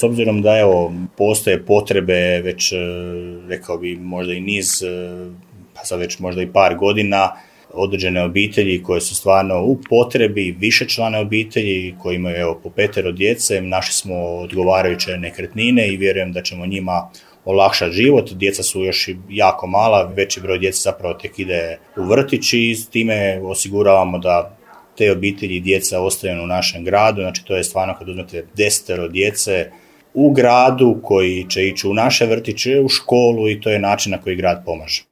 s obzirom da postoje potrebe već, rekao bi, možda i niz, pa sad već možda i par godina, određene obitelji koje su stvarno u potrebi, višečlane obitelji koji imaju po 5 djece, našli smo odgovarajuće nekretnine i vjerujem da ćemo njima olakšati život. Djeca su još jako mala, veći broj djece zapravo tek ide u vrtić i s time osiguravamo da te obitelji i djeca ostaju u našem gradu. Znači to je stvarno kad uzmete 10 djece u gradu koji će ići u naše vrtiće, u školu i to je način na koji grad pomaže.